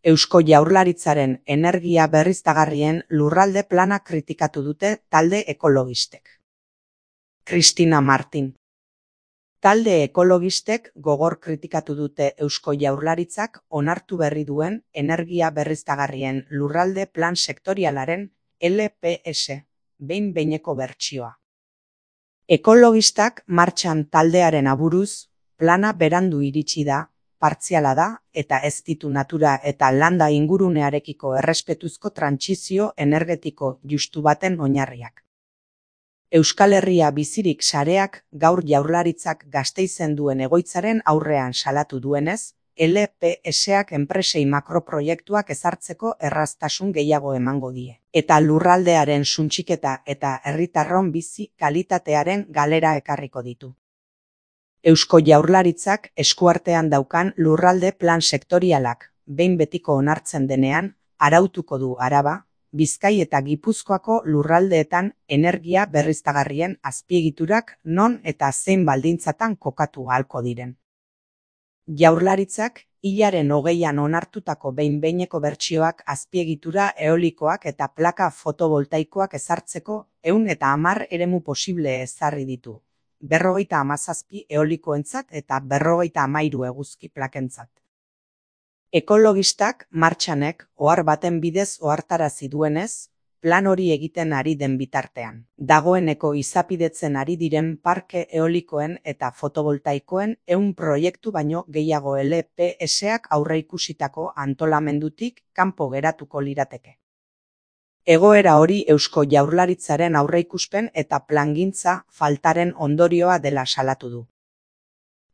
Eusko Jaurlaritzaren energia berriztagarrien lurralde plana kritikatu dute talde ekologistek. Cristina Martin. Talde ekologistek gogor kritikatu dute Eusko Jaurlaritzak onartu berri duen energia berriztagarrien lurralde plan sektorialaren LPS behin-behineko bertsioa. Ekologistak martxan taldearen aburuz, plana berandu iritsi da, partziala da eta ez ditu natura eta landa ingurunearekiko errespetuzko trantsizio energetiko justu baten oinarriak. Euskal Herria bizirik sareak gaur Jaurlaritzak Gasteizen duen egoitzaren aurrean salatu duenez, LPS-ak enpresei makroproiektuak ezartzeko erraztasun gehiago emango die. Eta lurraldearen suntsiketa eta herritarron bizi kalitatearen galera ekarriko ditu. Eusko Jaurlaritzak eskuartean daukan lurralde plan sektorialak behin betiko onartzen denean, arautuko du Araba, Bizkai eta Gipuzkoako lurraldeetan energia berriztagarrien azpiegiturak non eta zein baldintzatan kokatu ahalko diren. Jaurlaritzak hilaren 20an onartutako behin-behineko bertsioak azpiegitura eolikoak eta plaka fotovoltaikoak ezartzeko 110 eremu posible ezarri ditu. 57 eolikoentzat eta 53 eguzki plakentzat. Ekologistak martxanek ohar baten bidez ohartarazi duenez, plan hori egiten ari den bitartean. Dagoeneko izapidetzen ari diren parke eolikoen eta fotovoltaikoen 100 proiektu baino gehiago LPS-ak aurreikusitako antolamendutik kanpo geratuko lirateke. Egoera hori Eusko Jaurlaritzaren aurreikuspen eta plangintza faltaren ondorioa dela salatu du.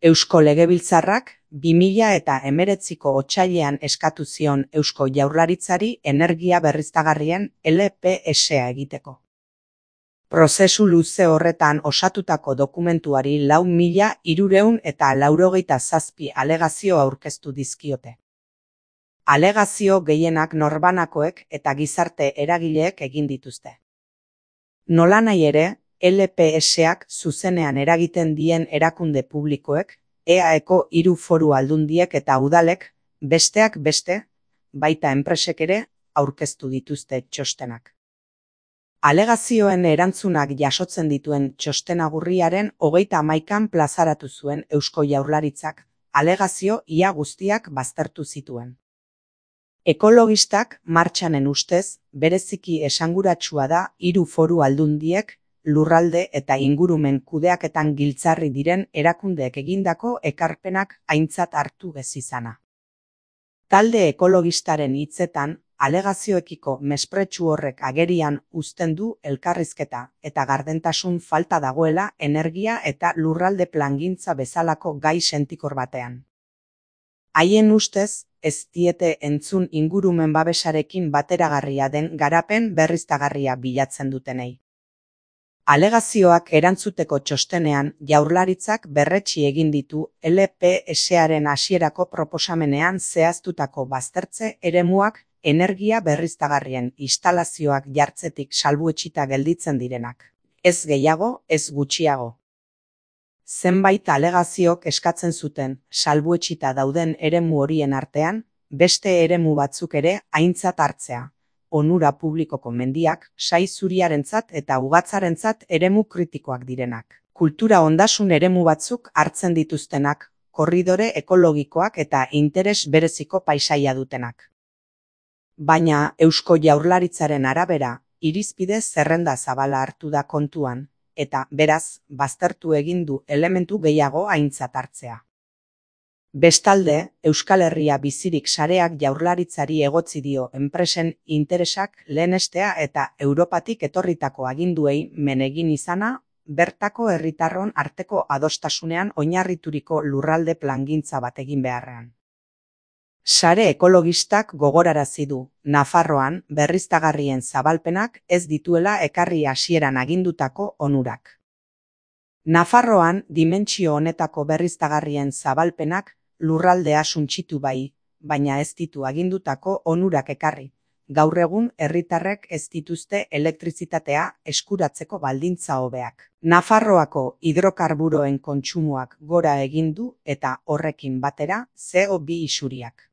Eusko Legebiltzarrak 2019ko otsailean eskatu zion Eusko Jaurlaritzari energia berriztagarrien LPS-a egiteko. Prozesu luze horretan osatutako dokumentuari 4.387 alegazio aurkeztu dizkiote. Alegazio gehienak norbanakoek eta gizarte eragileek egin dituzte. Nolanahi ere, LPS-ak zuzenean eragiten dien erakunde publikoek, EAeko 3 foru aldundiek eta udalek, besteak beste, baita enpresek ere, aurkeztu dituzte txostenak. Alegazioen erantzunak jasotzen dituen txostenagurriaren 31an plazaratu zuen Eusko Jaurlaritzak, alegazio ia guztiak baztertu zituen. Ekologistak martxanen ustez, bereziki esanguratsua da 3 foru aldundiek, lurralde eta ingurumen kudeaketan giltzarri diren erakundeek egindako ekarpenak aintzat hartu ez izana. Talde ekologistaren hitzetan, alegazioekiko mespretxu horrek agerian uzten du elkarrizketa eta gardentasun falta dagoela energia eta lurralde plangintza bezalako gai sentikor batean. Haien ustez, ez diete entzun ingurumen babesarekin bateragarria den garapen berriztagarria bilatzen dutenei. Alegazioak erantzuteko txostenean Jaurlaritzak berretsi egin ditu LPS-aren hasierako proposamenean zehaztutako baztertze eremuak energia berriztagarrien instalazioak jartzetik salbuetsita gelditzen direnak. Ez gehiago, ez gutxiago. Zenbait alegaziok eskatzen zuten salbuetsita dauden eremu horien artean, beste eremu batzuk ere aintzat hartzea. Onura publikoko mendiak, sai zuriarentzat eta ugatzarentzat eremu kritikoak direnak. Kultura ondasun eremu batzuk hartzen dituztenak, korridore ekologikoak eta interes bereziko paisaia dutenak. Baina Eusko Jaurlaritzaren arabera, irizpide zerrenda zabala hartu da kontuan, eta beraz, baztertu egin du elementu gehiago aintzat hartzea. Bestalde, Euskal Herria bizirik sareak Jaurlaritzari egotzi dio enpresen interesak lehenestea eta Europatik etorritako aginduei men egin izana, bertako herritarron arteko adostasunean oinarrituriko lurralde plangintza bat egin beharrean. Sare ekologistak gogorarazi du, Nafarroan berriztagarrien zabalpenak ez dituela ekarri hasieran agindutako onurak. Nafarroan dimentsio honetako berriztagarrien zabalpenak lurraldea suntsitu bai, baina ez ditu agindutako onurak ekarri. Gaur egun herritarrek ez dituzte elektrizitatea eskuratzeko baldintza hobeak. Nafarroako hidrokarburoen kontsumoak gora egin du eta horrekin batera CO2 isuriak.